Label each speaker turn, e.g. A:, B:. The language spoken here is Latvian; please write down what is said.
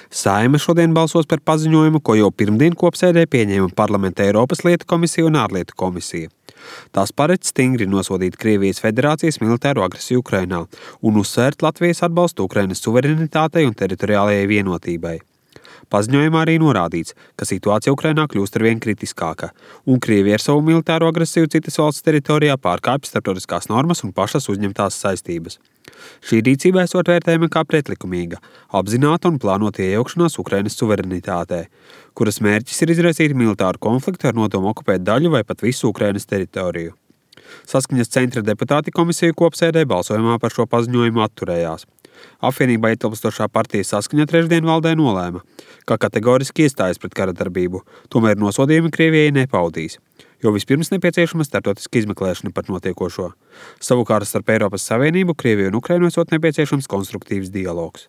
A: Saeima šodien balsos par paziņojumu, ko jau pirmdien kopsēdē pieņēma Parlamenta Eiropas lietu komisija un ārlietu komisija. Tās paredz stingri nosodīt Krievijas Federācijas militāro agresiju Ukrainā un uzsvērt Latvijas atbalstu Ukrainas suverenitātei un teritoriālajai vienotībai. Paziņojumā arī norādīts, ka situācija Ukrainā kļūst arvien kritiskāka, un Krievija ar savu militāro agresiju citas valsts teritorijā pārkāpj starptautiskās normas un pašas uzņemtās saistības. Šī rīcība esot vērtējama kā pretlikumīga, apzināta un plānota iejaukšanās Ukrainas suverenitātē, kuras mērķis ir izraisīt militāru konfliktu ar nodomu okupēt daļu vai pat visu Ukrainas teritoriju. Saskaņas centra deputāti komisiju kopsēdē balsojumā par šo paziņojumu atturējās. Apvienībā ietilpstošā partija Saskaņa trešdien valdē nolēma, ka kategoriski iestājas pret kara darbību, tomēr nosodījumi Krievijai nepaudīs, jo vispirms nepieciešama starptautiska izmeklēšana par notiekošo. Savukārt starp Eiropas Savienību, Krieviju un Ukrainu esot nepieciešams konstruktīvs dialogs.